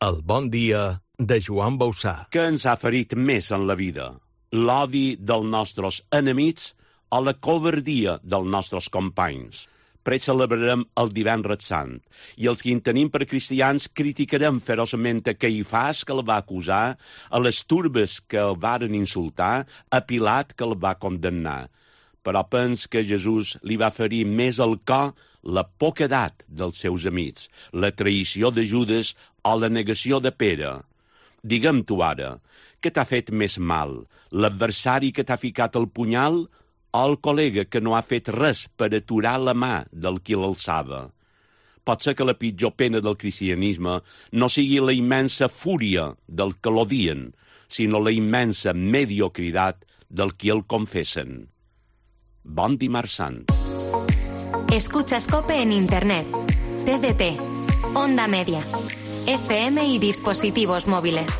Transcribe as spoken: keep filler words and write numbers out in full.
El bon dia de Joan Bauçà. Què ens ha ferit més en la vida? L'odi dels nostres enemics o la covardia dels nostres companys? Precelebrarem el divendres sant i els que en tenim per cristians criticarem feroçment a Caifàs, que el va acusar, a les turbes que el varen insultar, a Pilat, que el va condemnar. Però pens que Jesús li va ferir més el cor la poquedat dels seus amics, la traïció de Judes o la negació de Pere. Digue'm tu ara, què t'ha fet més mal, l'adversari que t'ha ficat el punyal o el col·lega que no ha fet res per aturar la mà del qui l'alçava? Pot ser que la pitjor pena del cristianisme no sigui la immensa fúria del que l'odien, sinó la immensa mediocritat del qui el confessen. Bon dimarts sant. Escuchas COPE en Internet, T D T, Onda Media, F M y dispositivos móviles.